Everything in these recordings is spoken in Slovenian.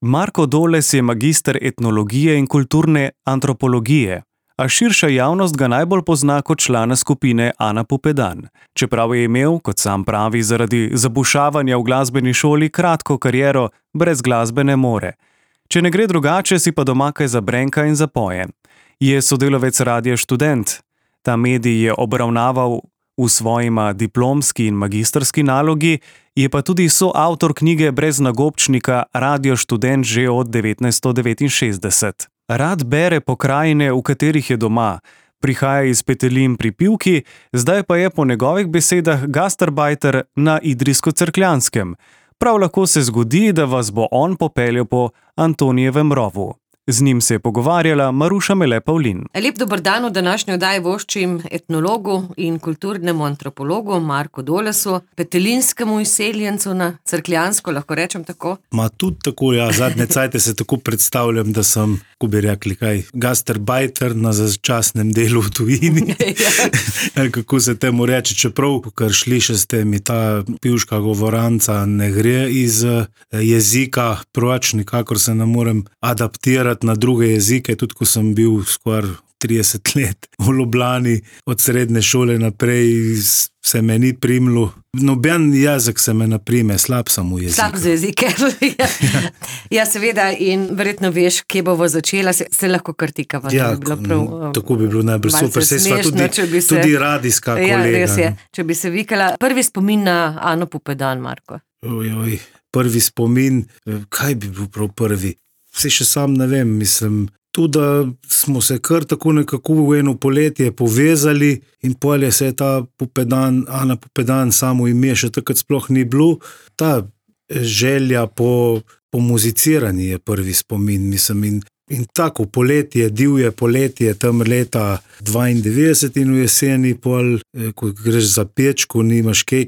Marko Doles je magister etnologije in kulturne antropologije, a širša javnost ga najbolj pozna kot člana skupine Ana Pupedan, čeprav je imel, kot sam pravi, zaradi zabušavanja v glasbeni šoli kratko kariero brez glasbene more. Če ne gre drugače, si pa doma kaj zabrenka in zapoje. Je sodelavec Radia Študent. Ta medij je obravnaval v svojima diplomski in magistrski nalogi, je pa tudi soavtor knjige brez nagobčnika Radio Študent že od 1969. Rad bere pokrajine, v katerih je doma, prihaja iz petelin pri Pivki, zdaj pa je po njegovih besedah gastarbajter na Idrijsko-Cerkljanskem. Prav lahko se zgodi, da vas bo on popeljal po Antonijevem rovu. Z njim se je pogovarjala Maruša Mele Pavlin. Lep dober dan, v današnji oddaji voščim etnologu in kulturnemu antropologu Marku Dolesu, petelinskemu izseljencu na Cerkljansko, lahko rečem tako? Tudi tako, ja, zadnje cajte se tako predstavljam, da sem, ko bi rekli, gastarbajter na začasnem delu v tujini. Kako se temu reče, čeprav, kar sliši ste mi, ta pivška govoranca ne gre iz jezika, proč nikakor se ne morem adaptirati na druge jezike, tudi ko sem bil skoraj 30 let v Ljubljani, od srednje šole naprej se me ni primilo. Noben jezik se me ne prime, slab sem v jeziku. Slab za jezike. Ja, seveda, in verjetno veš, kje bomo začela, se lahko krtikava. Ja, tako bi bilo najbolj super. Se sva tudi radijska kolega. Ja, res je, če bi se vikala. Prvi spomin na Ano Pupedan, Marko. Prvi spomin, kaj bi bil prav prvi? Vse še sam ne vem, mislim, tudi da smo se kar tako nekako v eno poletje povezali in polje se je ta Ana Pupedan samo ime še takrat sploh ni bilo. Ta želja po muziciranju je prvi spomin, mislim, in tako poletje, divje poletje, tam leta 92 in v jeseni pol, ko greš za peč, ko nimaš kaj,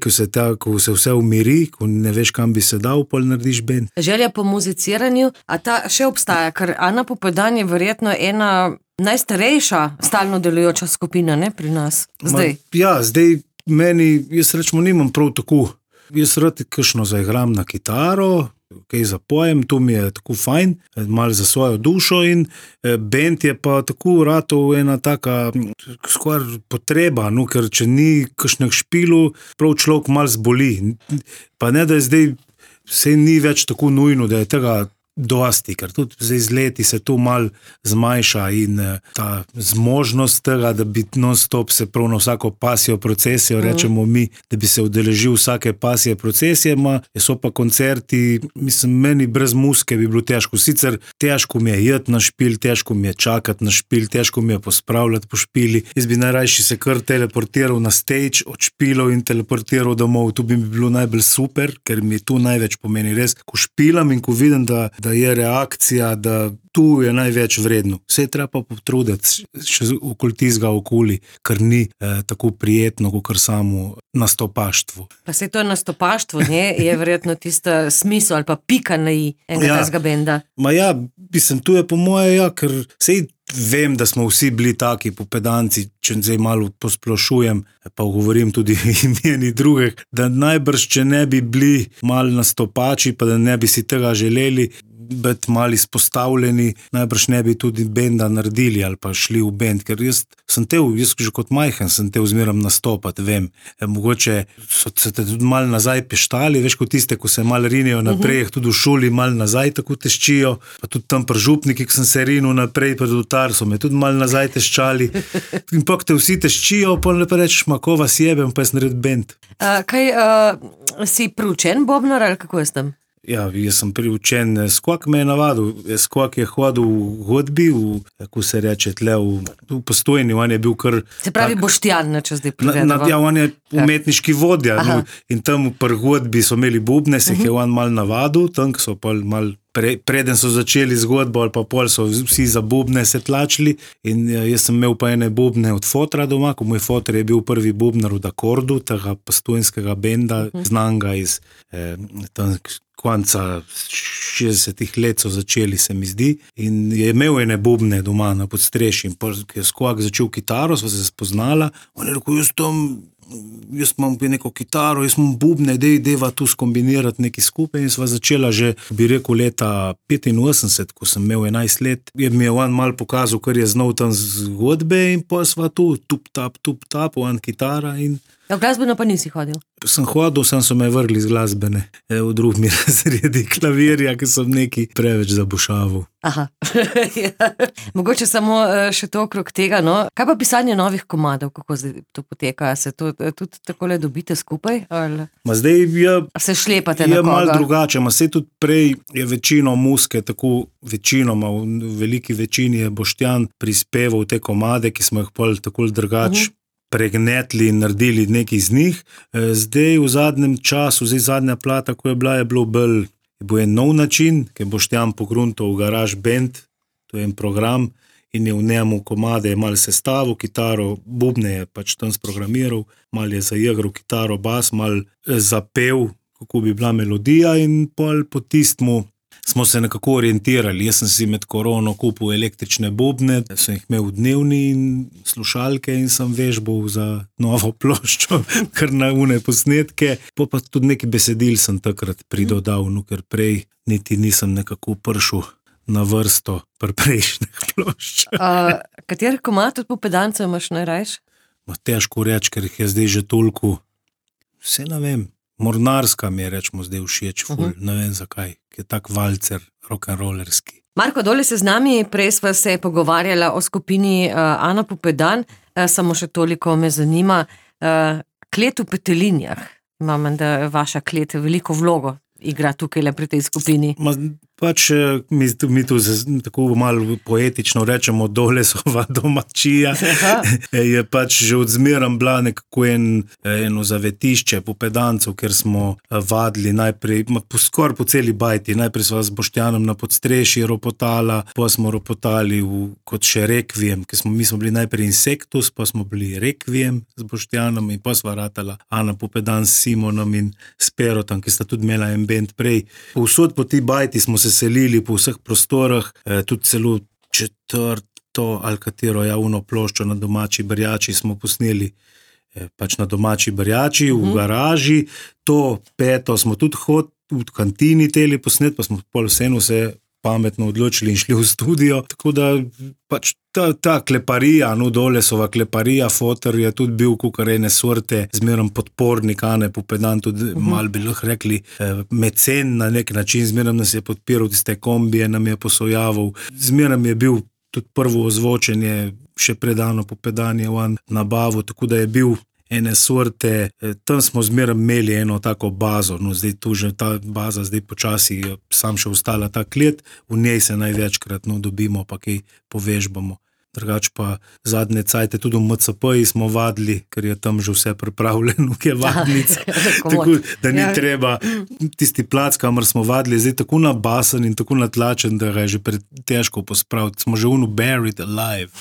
ko se vse umiri, ko ne veš, kam bi se dal, pol narediš bend. Želja po muziciranju, a ta še obstaja, ker Ana Pupedan je verjetno ena najstarejša stalno delujoča skupina, ne, pri nas, zdaj. Zdaj meni, jaz rečemo, nimam prav tako. Jaz rad kakšno zaigram na kitaro, kaj zapojem, to mi je tako fajn, malo za svojo dušo in bend je pa tako ratov ena taka skoraj potreba, no, ker če ni kakšnih špilu, prav človek malo zboli. Pa ne, da je zdaj, vse ni več tako nujno, da je tega dosti, ker tudi zdaj z leti se to malo zmanjša in ta zmožnost tega, da bi non-stop se prav na vsako pasijo procesijo, rečemo mi, da bi se udeležil vsake pasije procesije, so pa koncerti, mislim, meni brez muzike bi bilo težko. Sicer težko mi je jeti na špil, težko mi je čakati na špil, težko mi je pospravljati po špili. Jaz bi najrajši se kar teleportiral na stage od špilov in teleportiral domov. To bi mi bilo najbolj super, ker mi to največ pomeni. Res, ko špilam in ko vidim, da je reakcija, da tu je največ vredno. Vse je treba pa potruditi še okoli tistega okoli, ker ni tako prijetno, kot samo nastopaštvo. Pa se to nastopaštvo, ne, je verjetno tisto smisel ali pa pika na i enega tazga benda. Mislim, tu je po moje, ker sej vem, da smo vsi bili taki Pupedanci, če zdaj malo posplošujem, pa govorim tudi imeni drugih, da najbrž, če ne bi bili malo nastopači, pa da ne bi si tega želeli biti malo izpostavljeni, najbrž ne bi tudi benda naredili ali pa šli v bend, ker jaz že kot majhen sem te zmeram nastopati, vem. Mogoče so se te tudi malo nazaj peštali, veš, kot tiste, ko se malo rinijo naprej, tudi v šoli malo nazaj tako teščijo, pa tudi tam pri župniki, ki sem se rinil naprej, pred oltar so me tudi malo nazaj teščali. In pa te vsi teščijo, pa lepo rečeš, kova sjebem, pa jaz naredim bend. Si priučen bobnar ali kako jaz tam? Jaz sem priučen, Skok me je navadil, Skok je hodil v godbi, kako se reče, tle v Postojni, on je bil kar... Se pravi Boštjan, če zdaj privedava. On je umetniški vodja, in tam pri godbi so imeli bubne, se je on mal navadil, tam so pa mal... Preden so začeli zgodbo ali pa pol so vsi za bubne se tlačili in jaz sem imel pa ene bubne od fotra doma, ko moj fotor je bil prvi bubnar od Akordu, tega postojnskega benda, znanga iz konca 60-ih let so začeli, se mi zdi, in je imel ene bubne doma na podstrešju in ko je Skok začel kitaro, sva se spoznala, on je rekel, jaz tam jaz imam neko kitaro, jaz imam bubne, deva tu skombinirati nekaj skupaj in sva začela že, bi rekel, leta 85, ko sem imel 11 let, mi je on mal pokazal, kar je znal tam zgodbe in pa sva tu tup-tap, on kitara in... V glasbeno pa nisi hodil? Sem hodil, so me vrgli z glasbene, v drugem razredi klavirja, ker sem nekaj preveč zabušaval. Aha, ja. Mogoče samo še to okrog tega, no. Kaj pa pisanje novih komadov, kako to poteka? Se to tudi takole dobite skupaj? Ali... Zdaj se šlepate na koga? Malo drugače, se tudi prej je večino muske, tako večinoma, v veliki večini je Boštjan prispeval te komade, ki smo jih pol tako drugače pregnetli in naredili nekaj iz njih. Zdaj v zadnjem času, zadnja plata, ko je bilo bolj, je bil en nov način, ki je Boštjan pogruntal v Garage Band, to je en program in je v njemu komade malo sestavil, kitaro, bubne je pač tam sprogramiral, malo je zaigral kitaro, bas, malo zapel, kako bi bila melodija in pol po tistmu smo se nekako orientirali. Jaz sem si med korono kupil električne bobne, sem jih imel v dnevni in slušalke in sem vežbal za novo ploščo, kar na une posnetke. Pa tudi neki besedil sem takrat pridodal, ker prej niti nisem nekako prišel na vrsto pri prejšnjih plošč. Kateri komad od Pupedancev imaš najrajš? Težko reči, ker jih je zdaj že toliko, vse ne vem. Mornarska mi je, rečemo, zdaj všeč, ne vem zakaj, ki je tak valcer, rock'n'rollerski. Marko Doles je z nami, prej sva se pogovarjala o skupini Ana Pupedan, samo še toliko me zanima, klet v Petelinjah, imam, da vaša klet veliko vlogo igra tukaj le pri tej skupini. Pač mi tu tako malo poetično rečemo Dolesova domačija, je pač že odzmeram bila nekako eno zavetišče Pupedancev, kjer smo vadili najprej, skoraj po celi bajti, najprej sva z Boštjanom na podstrešji ropotala, pa smo ropotali kot še Rekviem, ker mi smo bili najprej Insektus, pa smo bili Rekviem z Boštjanom in pa sva ratala Ana Pupedan s Simonom in s Perotom, ki sta tudi imela en band prej. Povsod po ti bajti smo se selili po vseh prostorah, tudi celo četrto ali katero javno ploščo na Domači Brjači smo posneli, pač na Domači Brjači, v garaži, to peto smo tudi v kantini teli posnet, pa smo pol vseeno se pametno odločili in šli v studio, tako da pač ta kleparija, Dolesova kleparija, fotor je tudi bil kakor ene sorte, zmerom podpornik Ane Pupedan, tudi malo bi lahko rekli mecen na nek način, zmerom nas je podpiral, tiste kombije nam je posojaval, zmerom je bil tudi prvo ozvočenje, še predano Pupedan je on nabavil, tako da je bil ene sorte, tam smo zmeraj imeli eno tako bazo, zdaj tu že ta baza, zdaj počasi sam še ostala ta klet, v njej se največkrat dobimo, pa kaj povežbamo. Drugač pa zadnje cajte tudi v MCP-ji smo vadili, ker je tam že vse pripravljeno, ki je vadnica. Tako da ni treba tisti plac, kamor smo vadili, zdaj tako nabasen in tako natlačen, da ga je že težko pospraviti. Smo že buried alive.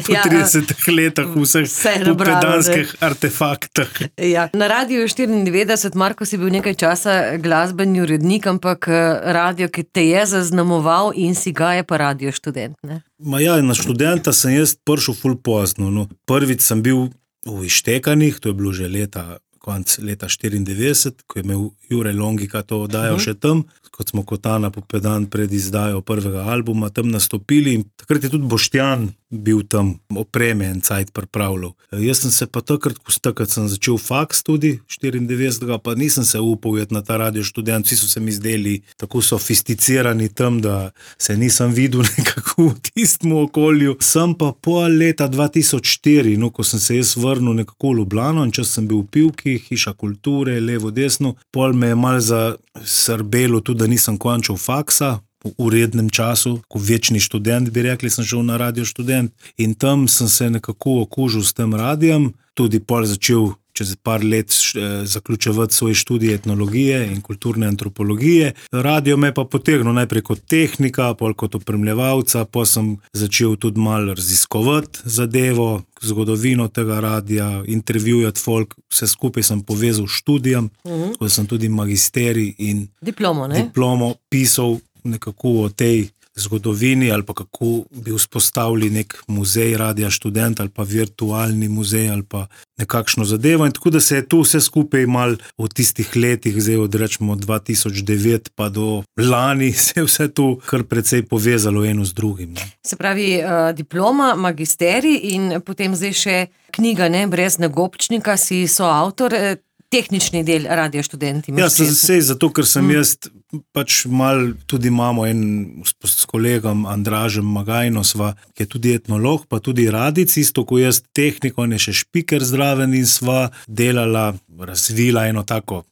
Po 30 letah vseh pupedanskih artefaktah. Ja. Na Radiu 94, Marko, si bil nekaj časa glasbeni urednik, ampak radio, ki te je zaznamoval in si ga je pa Radio Študent, ne? Na študenta sem jaz prišel ful pozno. Prvič sem bil v Ištekanih, to je bilo že konc leta 94, ko je imel Jure Longika to oddajo še tam, kot smo kot Ana Pupedan pred izdajo prvega albuma tam nastopili in takrat je tudi Boštjan bil tam opreme en cajt pripravljal. Jaz sem se pa takrat sem začel faks tudi, 94, pa nisem se upal jeti na ta Radio Študent, vsi so se mi zdeli tako sofisticirani tam, da se nisem videl nekako v tistem okolju. Sem pa pol leta 2004, ko sem se jaz vrnil nekako v Ljubljano in čas sem bil v Pivki, Hiša kulture, levo, desno, pol me je malo zasrbelo tudi, da nisem končal faksa, v urednem času, ko večni študent, bi rekli, sem šel na Radio Študent in tam sem se nekako okužil s tem radijem, tudi pol začel čez par let zaključevati svoje študije etnologije in kulturne antropologije. Radio me pa potegnil najprej kot tehnika, pol kot opremljevalca, pa sem začel tudi malo raziskovati zadevo, zgodovino tega radia, intervjujati folk, vse skupaj sem povezal študijam, ko sem tudi magisterij in diplomo pisal nekako o tej zgodovini ali pa kako bi vzpostavili nek muzej Radia Študent ali pa virtualni muzej ali pa nekakšno zadevo. In tako da se je to vse skupaj mal v tistih letih, zdaj od rečemo 2009 pa do lani, se je vse to kar precej povezalo eno z drugim. Ne. Se pravi, diploma, magisterij in potem zdaj še knjiga, ne, Brez nagobčnika, si soavtor, tehnični del Radia Študent. Ja, sej zato, ker sem jaz pač mal, tudi imamo s kolegom Andražem Magajno sva, ki je tudi etnolog, pa tudi radic, isto ko jaz tehnik, on je še špiker zraven in sva delala, razvila eno tako,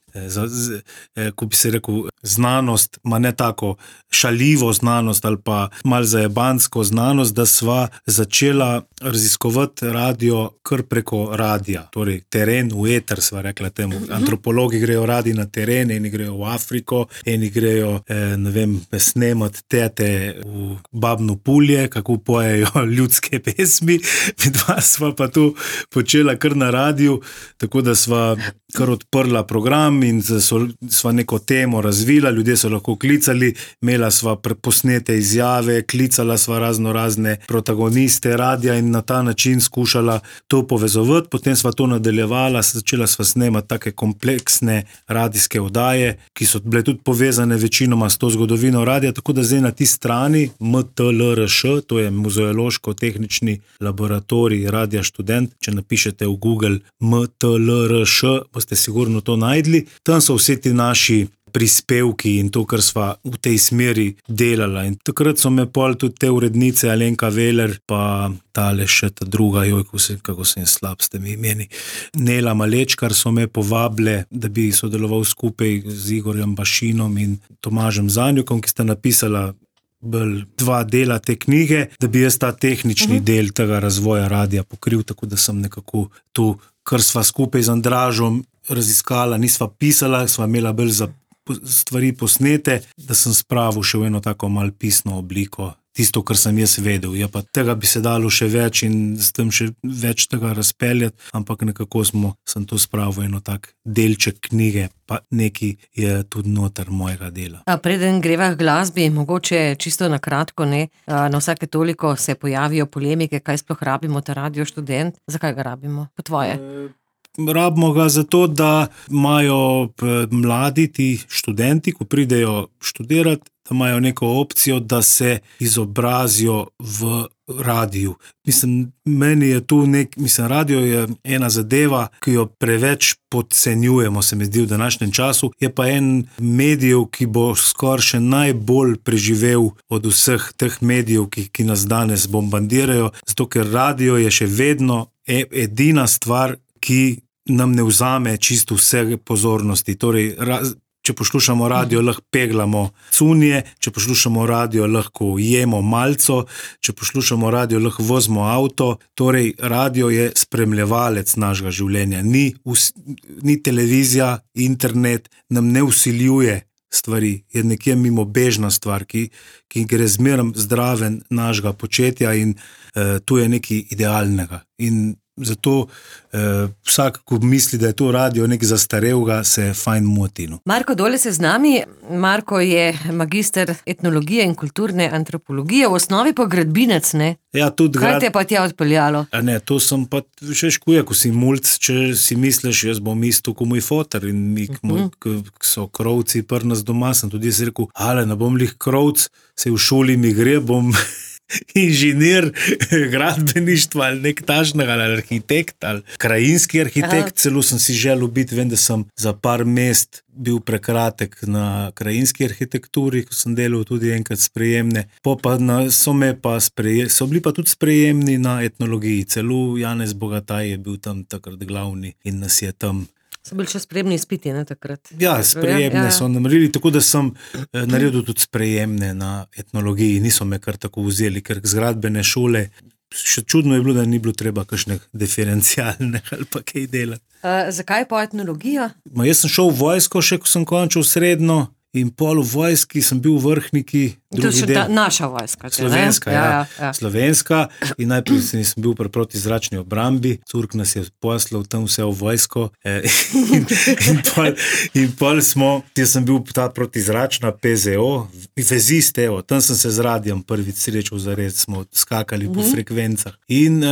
ko bi se rekel, znanost, ma ne tako šaljivo znanost ali pa mal zajebansko znanost, da sva začela raziskovati radio kar preko radija, torej teren v eter, sva rekla temu. Antropologi grejo radi na teren, eni grejo v Afriko, eni grejo, ne vem, snemat tete v Babno Pulje, kako pojejo ljudske pesmi, dva sva pa to počela kar na radiju, tako da sva kar odprla program in sva neko temo razvila, ljudje so lahko klicali, imela sva posnete izjave, klicala sva razne protagoniste radija in na ta način skušala to povezovati, potem sva to nadaljevala, začela sva snemati take kompleksne radijske oddaje, ki so bile tudi povezane večinoma s to zgodovino radija, tako da zdaj na ti strani MTLRŠ, to je Muzeološko-tehnični laboratorij Radia Študent, če napišete v Google MTLRŠ, boste sigurno to najdli. Tam so vse ti naši prispevki in to, kar sva v tej smeri delala. In takrat so me pol tudi te urednice, Alenka Veler, pa tale še ta druga, kako sem slab s temi imeni, Nela Malečkar, so me povabile, da bi sodeloval skupaj z Igorjem Bašinom in Tomažem Zanjukom, ki sta napisala bolj 2 dela te knjige, da bi jaz ta tehnični del tega razvoja radija pokril, tako da sem nekako to, kar sva skupaj z Andražom raziskala, nisva pisala, sva imela bolj za stvari posnete, da sem spravil še v eno tako mal pisno obliko, tisto, kar sem jaz vedel. Ja, pa tega bi se dalo še več in s tem še več tega razpeljati, ampak nekako sem to spravil eno tak delček knjige, pa neki je tudi noter mojega dela. A preden greva k glasbi, mogoče čisto na kratko, ne, na vsake toliko se pojavijo polemike, kaj sploh rabimo ta Radio Študent, zakaj ga rabimo, po tvoje? Rabimo ga zato, da imajo mladi ti študenti, ko pridejo študirati, da imajo neko opcijo, da se izobrazijo v radiju. Meni je tu radio je ena zadeva, ki jo preveč podcenjujemo, se mi zdi v današnjem času, je pa en medijev, ki bo skoraj še najbolj preživel od vseh teh medijev, ki nas danes bombardirajo, zato ker radio je še vedno edina stvar, ki nam ne vzame čisto vse pozornosti. Torej, če poslušamo radio, lahko peglamo cunje, če poslušamo radio, lahko jemo malco, če poslušamo radio, lahko vozimo avto. Torej, radio je spremljevalec našega življenja. Ni televizija, internet nam ne vsiljuje stvari, je nekje mimobežna stvar, ki gre zmeraj zdraven našega početja in tu je nekaj idealnega. In zato vsak, ko misli, da je to radio nekaj zastarelega, se fajn moti. Marko Dole se z nami. Marko je magister etnologije in kulturne antropologije, v osnovi pa gradbinec, ne? Ja, tudi kaj te pa tja odpeljalo? Ne, to sem pa še škuje, ko si mulc, če si misliš, jaz bom isto kot moj foter in so krovci pri nas doma, sem tudi jaz rekel, ne bom lih krovc, se v šoli mi gre, bom inženir gradbeništva ali nek tažnega, ali arhitekt, ali krajinski arhitekt. Celo sem si želel biti, vem, da sem za par mest bil prekratek na krajinski arhitekturi, ko sem delal tudi enkrat sprejemne. So bili pa tudi sprejemni na etnologiji. Celo Janez Bogataj je bil tam takrat glavni in nas je tam. So bili še sprejemni izpiti, ne, takrat? Ja, sprejemne so naredili, tako da sem naredil tudi sprejemne na etnologiji. Niso me kar tako vzeli, ker zgradbene šole, še čudno je bilo, da ni bilo treba kakšne diferencialne ali pa kaj delati. Zakaj pa etnologija? Jaz sem šel v vojsko, še ko sem končal srednjo in pol v vojski sem bil v vrhniki. To je še naša vojska. Slovenska, ja. Slovenska in najprej sem bil pri protizračni obrambi, curk nas je poslal tam vse v vojsko in pol smo, jaz sem bil ta protizračna PZO, vezist, tam sem se z radijem prvič srečal zared, smo skakali po frekvencah in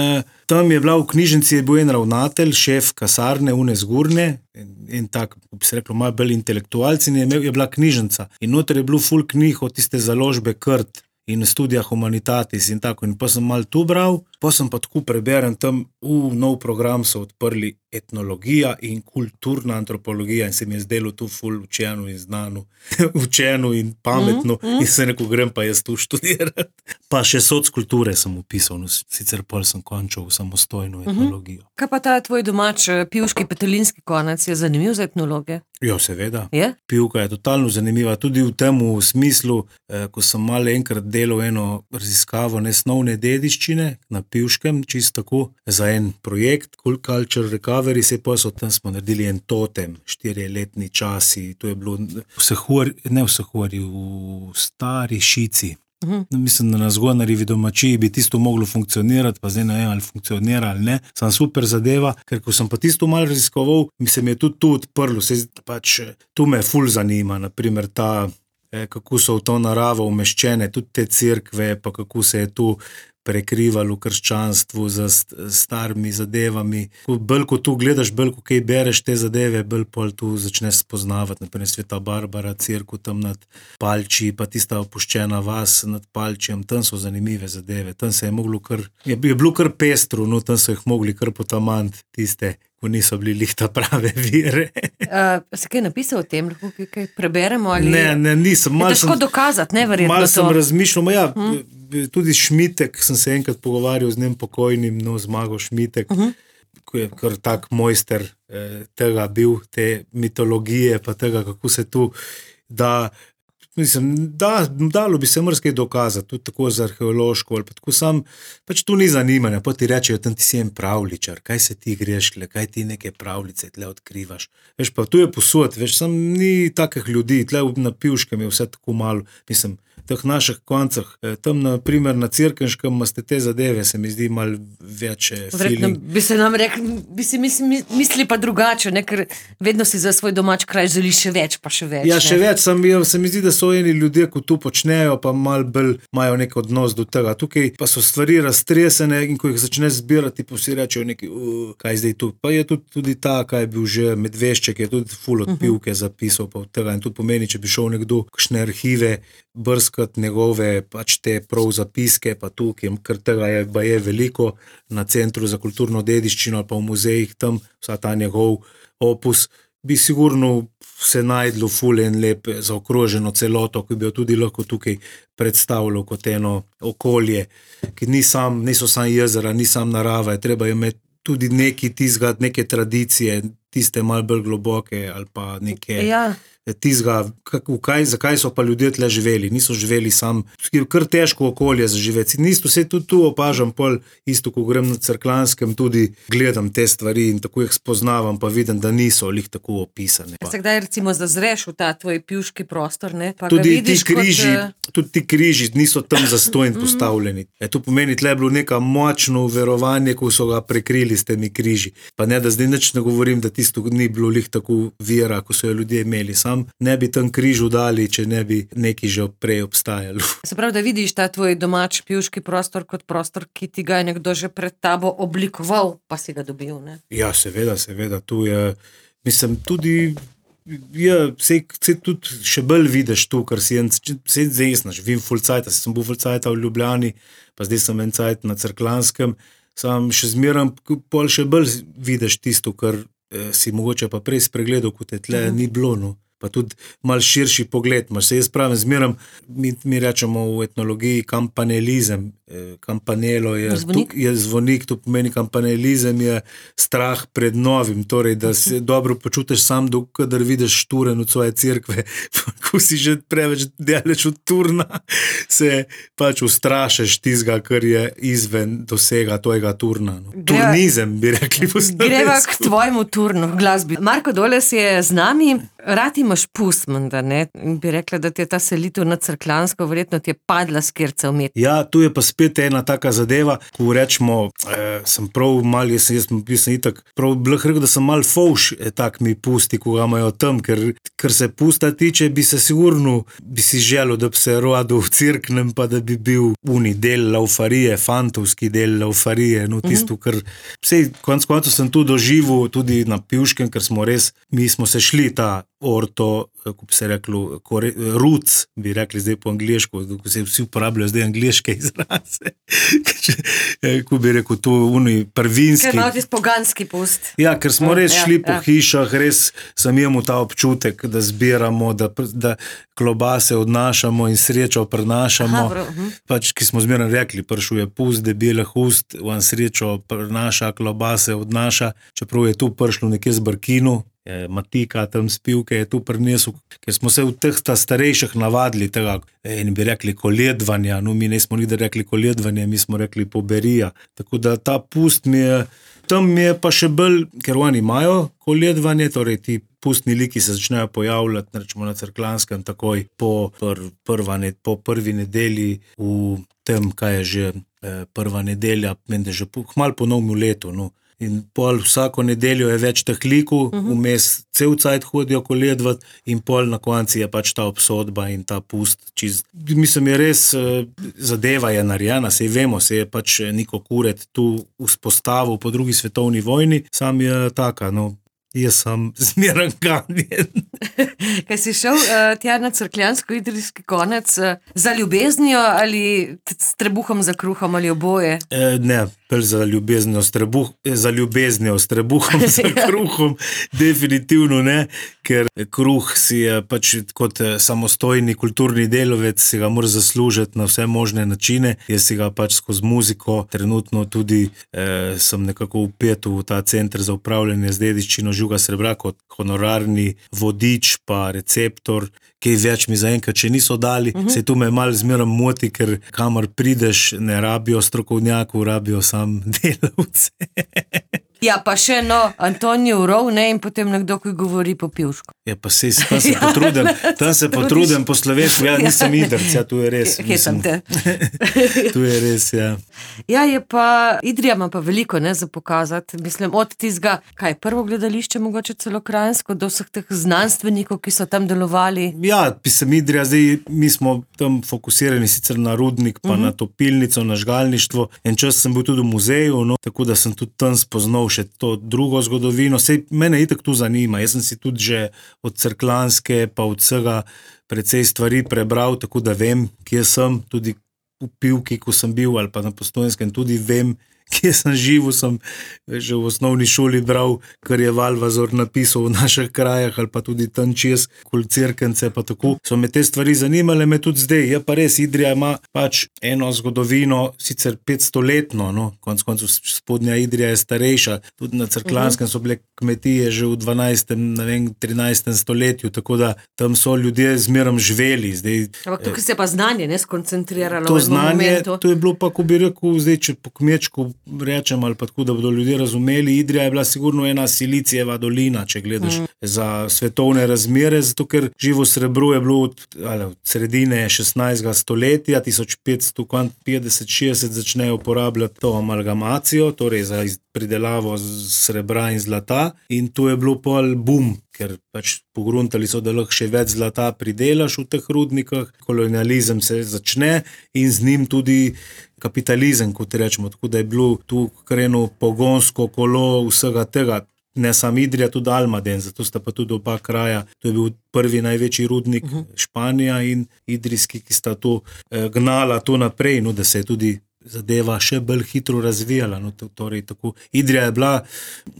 tam je bila v knjižnici, je bil en ravnatelj, šef kasarne, Zgurne, in tak, bi se reklo, malo bolj intelektualci, in je bila knjižnica. In noter je bilo ful knjig od tiste založbe Krt in Studia Humanitatis in tako. In pa sem malo tu bral, pa sem pa tako preberem tam, nov program so odprli etnologija in kulturna antropologija in se mi je zdelo tu ful učeno in znano, učeno in pametno in se neko grem pa jaz tu študirati. Pa še sociokulture sem upisal, no, sicer pol sem končal samostojno etnologijo. Kaj pa ta tvoj domač pivški petelinski konec je zanimiv za etnologe? Jo, seveda. Je? Pivka je totalno zanimiva, tudi v tem smislu, ko sem malo enkrat delal eno raziskavo nesnovne dediščine na Pivškem, čisto tako, za en projekt, Culture Recovery, se pa so tam smo naredili en totem, 4-letni časi, to je bilo v Stari Šici. Mislim, da na Zgonarjevi domačiji bi tisto moglo funkcionirati, pa zdaj ne vem, ali funkcionira ali ne. Sem super zadeva, ker ko sem pa tisto malo raziskoval, se mi je tudi tu odprlo, tu me ful zanima, naprimer ta, kako so v to naravo umeščene, tudi te cerkve, pa kako se je tu prekrivalo krščanstvu z starimi zadevami. Bolj ko tu gledaš, bolj ko kaj bereš te zadeve, bolj pol tu začneš spoznavati, naprimer Sveta Barbara, cerkev tam nad Palči, pa tista opuščena vas nad Palčijem, tam so zanimive zadeve, tam se je moglo je bilo kar pestro, no tam so jih mogli kar potamant tiste, ko niso bili lih ta prave vire. Si kaj napisal o tem, lahko kaj preberemo? Ali... Ne, nisem. Je težko dokazati, ne, verjetno to? Malo sem razmišljal, tudi Šmitek, sem se enkrat pogovarjal z njim pokojnim, Zmago Šmitek, ko je kar tak mojster tega bil, te mitologije, pa tega, kako se tu da... Mislim, dalo bi se marsikaj dokazati, tudi tako za arheološko, ali pa tako sam, pač tu ni zanimanja, pa ti rečejo, tam ti si en pravličar, kaj se ti greš, kaj ti neke pravljice tle odkrivaš. Veš, pa tu je posod, veš, sam ni takih ljudi, tle na Pivškem je vse tako malo, mislim, teh naših koncah, tam na primer na Cirkenškem imate te zadeve, se mi zdi malo več feeling. Bi se nam rekli, bi si mislili pa drugače, ne, ker vedno si za svoj domač kraj želi še več, pa še več. Ja, še več, se mi zdi, da so eni ljudje, ko tu počnejo, pa malo bolj imajo nek odnos do tega. Tukaj pa so stvari raztresene in ko jih začneš zbirati, pa si rečejo neki, kaj zdaj tu. Pa je tudi ta, kaj je bil že Medvešček, je tudi ful od Pivke zapisal, pa od tega. In tudi pomeni, če bi šel nekdo kakšne arhive brskati njegove pač te prav zapiske, pa tukaj, ker tega je veliko na Centru za kulturno dediščino, pa v muzejih tam, vsa ta njegov opus, bi sigurno se najdlo ful en lep zaokroženo celoto, ki bi jo tudi lahko tukaj predstavljal kot eno okolje, ki niso sam jezera, ni sam narava, je treba imeti tudi neki tizgat, neke tradicije, tiste malo bolj globoke ali pa neke... Ja. Tizga, zakaj so pa ljudje tle živeli, niso živeli sam, kar težko okolje za živeti. Isto se tudi tu opažam, pol isto, ko grem na Cerklanskem, tudi gledam te stvari in tako jih spoznavam, pa vidim, da niso lih tako opisane. Se kdaj recimo zazreš v ta tvoj pivški prostor, ne? Pa tudi ga vidiš tudi ti križi niso tam zastojn postavljeni. To pomeni, tle je bilo neka močno verovanje, ko so ga prekrili s temi križi. Pa ne, da zdaj nič ne govorim, da tisto ni bilo lih tako vera, ko so jo ljudje imeli. Sam ne bi tam križu dali, če ne bi neki že prej obstajalo. Se pravi, da vidiš ta tvoj domač pivški prostor kot prostor, ki ti ga je nekdo že pred tabo oblikoval, pa si ga dobil, ne? Ja, seveda, tu je, mislim, tudi se tudi še bolj vidiš tu, ker si zdaj znaš, vim ful cajta, sem bil ful cajta v Ljubljani, pa zdaj sem en cajt na Cerklanskem, sam še zmeram, pol še bolj vidiš tisto, kar si mogoče pa prej spregledal, kot je tle ni bilo, no. Pa tudi malo širši pogled imaš. Se jaz pravim, zmeram, mi rečemo v etnologiji kampanelizem, Kampanelo je zvonik, to pomeni kampanelizem je strah pred novim, torej, da se dobro počutiš sam, kadar vidiš šturen od svoje cerkve, ko si že preveč daleč od turna, se pač ustrašeš tizga, kar je izven dosega tvojega turna. Turnizem, bi rekli po slovensko. Greva k tvojemu turnu v glasbi. Marko Doles je z nami, rad imaš pust, menda, ne? Bi rekla, da ti je ta selitev na Cerkljansko, verjetno ti je padla skirca vmet. Ja, tu je pa spet ena taka zadeva, ko rečemo, sem prav mal, jaz sem itak, prav bih rekel, da sem mal fovš, tak mi pusti, ko ga imajo tam, ker se pusta tiče, bi se sigurno, bi si želel, da bi se rodil v Cerknem, pa da bi bil uni del laufarije, fantovski del laufarije, no tisto, ker vsej, koncu sem tu doživel, tudi na Pivškem, ker smo res, mi smo se šli ta orto, kako bi se reklo, roots, bi rekli zdaj po angliško, ko se vsi uporabljajo zdaj angliške izraze. Ko bi rekel, to uni prvinski. Ker malo tisti poganski pust. Ja, ker smo res šli po hišah, res sem imel ta občutek, da zbiramo, da klobase odnašamo in srečo prinašamo. Pač, ki smo zmeraj rekli, prišel je pust, debelih ust, on srečo prinaša, klobase odnaša, čeprav je tu prišlo nekje z Brkinu, Matika tam spivke je tu prinesel, ker smo se v teh starejših navadili tega, in bi rekli koledvanja, no mi nismo nikdar rekli koledvanja, mi smo rekli poberija, tako da ta pust tam mi je pa še bolj, ker oni imajo koledvanje, torej ti pustni liki se začnejo pojavljati, rečemo na Cerkljanskem, takoj po prvi nedelji v tem, kaj je že prva nedelja, mende že malo po novem letu, no. In pol vsako nedeljo je več teh likov, vmes cel cajt hodijo koledvat in pol na konci je pač ta obsodba in ta pust. Mislim, je res, zadeva je narejena, sej vemo, se je pač Niko Kuret tu vzpostavil po drugi svetovni vojni, sam je taka, no, jaz sem zmeran ganjen. Kaj si šel tja na Cerkljansko-idrijski konec za ljubeznijo ali s trebuhom za kruhom ali oboje? Ne, za ljubeznijo s trebuhom za kruhom, definitivno ne, ker kruh si je pač kot samostojni kulturni delovec, si ga mora zaslužiti na vse možne načine, jaz si ga pač skozi muziko, trenutno tudi sem nekako vpet v ta center za upravljanje z dediščino Juga Srebra kot honorarni vodič pa receptor, kaj več mi zaenkrat še niso dali, se tu me malo zmeraj moti, ker kamor prideš, ne rabijo strokovnjakov, rabijo sam delavce. Ja, pa še Antonijo Rov, ne, in potem nekdo, ki govori po pivško. Ja, pa tam se potrudim po slovensko, ja, nisem idrc, ja, tu je res. Hetam te. Tu je res, ja. Ja, je pa, Idrija ima pa veliko, ne, za pokazati, mislim, od tizga, kaj, prvo gledališče, mogoče celo Kranjsko, do vseh teh znanstvenikov, ki so tam delovali. Ja, pisem Idrija, zdaj mi smo tam fokusirani sicer na rudnik, pa na topilnico, na žgalništvo, en čas sem bil tudi v muzeju, no, tako da sem tudi tam spoznal še to drugo zgodovino. Sej mene itak tu zanima. Jaz sem si tudi že od Cerkljanske pa od vsega precej stvari prebral, tako da vem, kje sem, tudi v Pivki, ko sem bil, ali pa na Postojnskem, tudi vem, kje sem živel, sem že v osnovni šoli bral, kar je Valvazor napisal v naših krajah, ali pa tudi tam čez, kol Cerkence, pa tako. So me te stvari zanimale, me tudi zdaj. Je pa res, Idrija ima pač eno zgodovino, sicer 500-letno, no, konec koncev spodnja Idrija je starejša, tudi na Cerkljanskem so bile kmetije že v 12., ne vem, 13. stoletju, tako da tam so ljudje zmerom živeli. Ampak tukaj se pa znanje, ne, skoncentriralo to v znanje, momentu. to je bilo pa, ko bi rekel, zdaj, če po kmečku rečem, ali pa tako, da bodo ljudje razumeli, Idrija je bila sigurno ena Silicijeva dolina, če gledaš za svetovne razmere, zato ker živo srebro je bilo od sredine 16. stoletja, 1550-60 začnejo uporabljati to amalgamacijo, torej za pridelavo srebra in zlata, in to je bilo pol boom, ker pač pogruntali so, da lahko še več zlata pridelaš v teh rudnikah, kolonializem se začne in z njim tudi kapitalizem, kot rečemo, tako da je bilo tu kreno pogonsko kolo vsega tega, ne sam Idrija, tudi Almaden, zato sta pa tudi oba kraja, to je bil prvi največji rudnik Španija in idrijski, ki sta to gnala to naprej, no, da se je tudi zadeva še bolj hitro razvijala, no, torej tako. Idrija je bila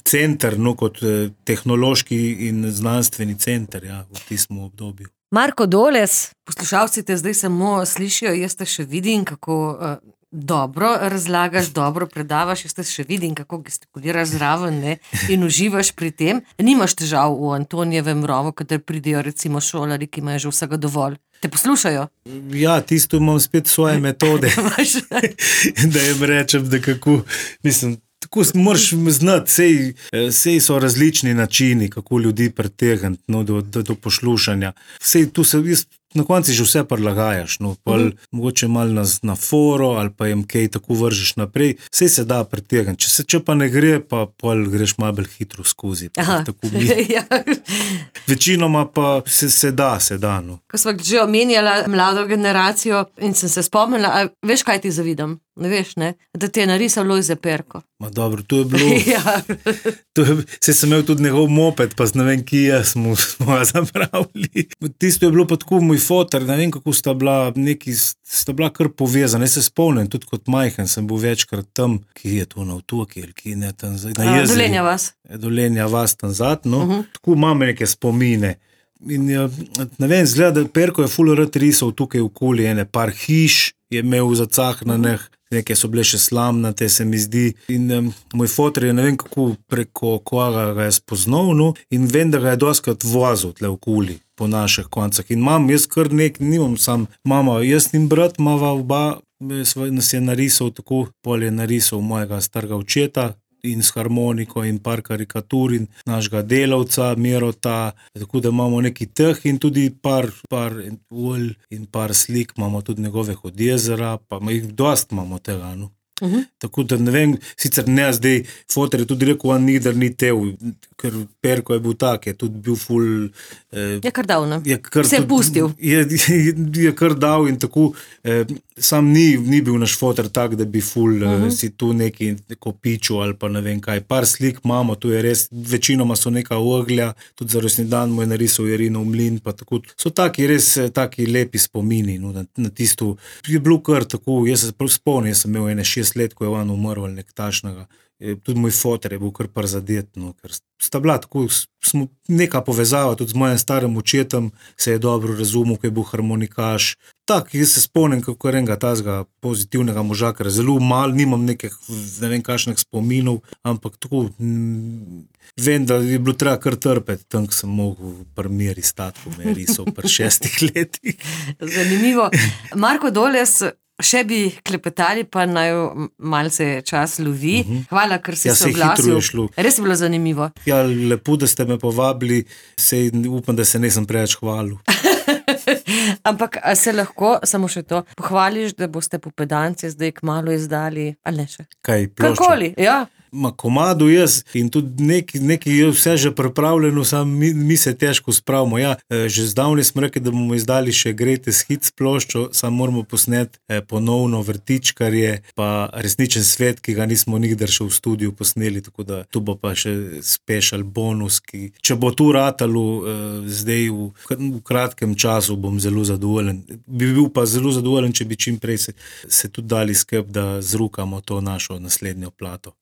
center, no, kot tehnološki in znanstveni center, ja, v tistem obdobju. Marko Doles, poslušalci te zdaj samo slišijo, jaz te še vidim, kako dobro razlagaš, dobro predavaš, jaz te še vidim, kako gestikuliraš zraven, ne, in uživaš pri tem. Nimaš težav v Antonijevem rovu, kadar pridejo recimo šolari, ki imajo že vsega dovolj. Te poslušajo? Ja, tisto imam spet svoje metode, da jim rečem, da kako, mislim, tako moraš znati, sej so različni načini, kako ljudi pritegniti, no, do poslušanja. Sej tu se na konci že vse prilagajaš, no, mogoče malo na foro ali pa jim kaj tako vržeš naprej, sej se da pritegniti. Če pa ne gre, pa pol greš malo bolj hitro skozi. Tako mi. Ja. Večinoma pa se da, no. Ko sva že omenjala mlado generacijo in sem se spomnila, a veš, kaj ti zavidam? Ne veš, ne? Da ti je narisal Lojze Perko. Ma dobro, to je bilo... Ja. Saj sem imel tudi njegov moped, pa ne vem, kje smo ga zapravili. Tisto je bilo pa tako moj foter, ne vem, kako sta bila kar povezana. Jaz se spomnim, tudi kot majhen sem bil večkrat tam, ki je to na Otoki, ali ki ne tam zdaj, na jezeri. Dolenja vas. Dolenja vas tam zad, no. Tako imam neke spomine. In ne vem, zgleda, da Perko je ful rad risal tukaj okoli, ene par hiš je imel zacahnanih, neke so bile še slamnate, se mi zdi. In moj foter je, ne vem kako, preko koga ga je spoznal, no, in vem, da ga je doskrat vozil tle okoli po naših koncah. In imam jaz kar nimam sam mama, jaz in brat imava oba, nas je narisal tako, pol je narisal mojega starega očeta, in s harmoniko in par karikatur in našega delavca, Mirota, tako da imamo neki teh in tudi par olj in par slik, imamo tudi njegovih od jezera, pa jih dost imamo tega, no. Tako da ne vem, sicer ne zdaj, foter je tudi rekel, on nikdar ni tev, ker Perko je bil tak, je tudi bil ful... Je kar dal, ne? Se je pustil. Je kar dal in tako, sam ni bil naš foter tak, da bi ful si tu neko piču ali pa ne vem kaj. Par slik imamo, to je res, večinoma so neka oglja, tudi za rojstni dan mu je narisal Jerinov mlin, pa tako. So taki res, taki lepi spomini, no, na tisto. Je bilo kar tako, jaz se spomnim, jaz sem imel ene 6 let, ko je on umrl ali nek tašnega. Tudi moj foter je bil kar prizadet, no, ker sta bila tako, smo neka povezava, tudi z mojim starim očetom se je dobro razumel, ko je bil harmonikaš. Tak, jaz se spomnim, kako enega tazga pozitivnega moža, ker zelo malo, nimam nekih, ne vem, kakšnih spominov, ampak tako, vem, da je bilo treba kar trpeti, tam, ko sem mogel pri Miri stati, ko me je risal pri 6 letih. Zanimivo. Marko Doles, še bi klepetali, pa naj malce čas lovi. Hvala, ker si se oglasil. Res je bilo zanimivo. Ja, lepo, da ste me povabili, upam, da se nisem preveč hvalil. Ampak se lahko, samo še to, pohvališ, da boste Popedance zdaj kmalu izdali, ali ne še? Kaj, ploščo? Karkoli, ja. Ma komadu jaz in tudi neki je vse že pripravljeno, sam mi se težko spravimo. Ja, že zdavnaj smo rekli, da bomo izdali še Greatest Hits ploščo, sam moramo posneti ponovno Vrtičkarje, pa Resničen svet, ki ga nismo nikdar še v studiu posneli, tako da tu bo pa še special bonus, ki, če bo tu ratalo zdaj v kratkem času, bom zelo zadovoljen. Bi bil pa zelo zadovoljen, če bi čim prej se tudi dali skrb, da zrukamo to našo naslednjo plato.